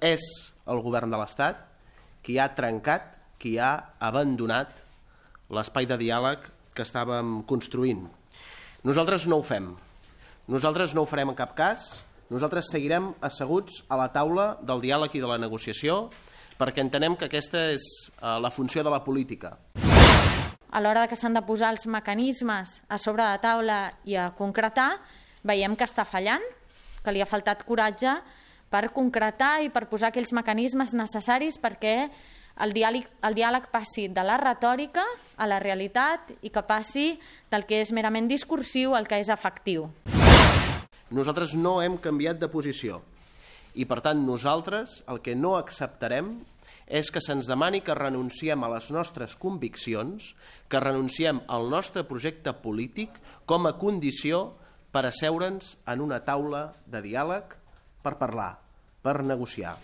és el govern de l'Estat qui ha trencat, qui ha abandonat l'espai de diàleg que estàvem construint. Nosaltres no ho fem. Nosaltres no ho farem en cap cas. Nosaltres seguirem asseguts a la taula del diàleg i de la negociació perquè entenem que aquesta és la funció de la política. A l'hora que s'han de posar els mecanismes a sobre de taula i a concretar, veiem que està fallant, que li ha faltat coratge per concretar i per posar aquells mecanismes necessaris perquè el diàleg passi de la retòrica a la realitat i que passi del que és merament discursiu al que és efectiu. Nosaltres no hem canviat de posició i, per tant, nosaltres el que no acceptarem és que se'ns demani que renunciem a les nostres conviccions, que renunciem al nostre projecte polític com a condició per asseure'ns en una taula de diàleg per parlar, per negociar.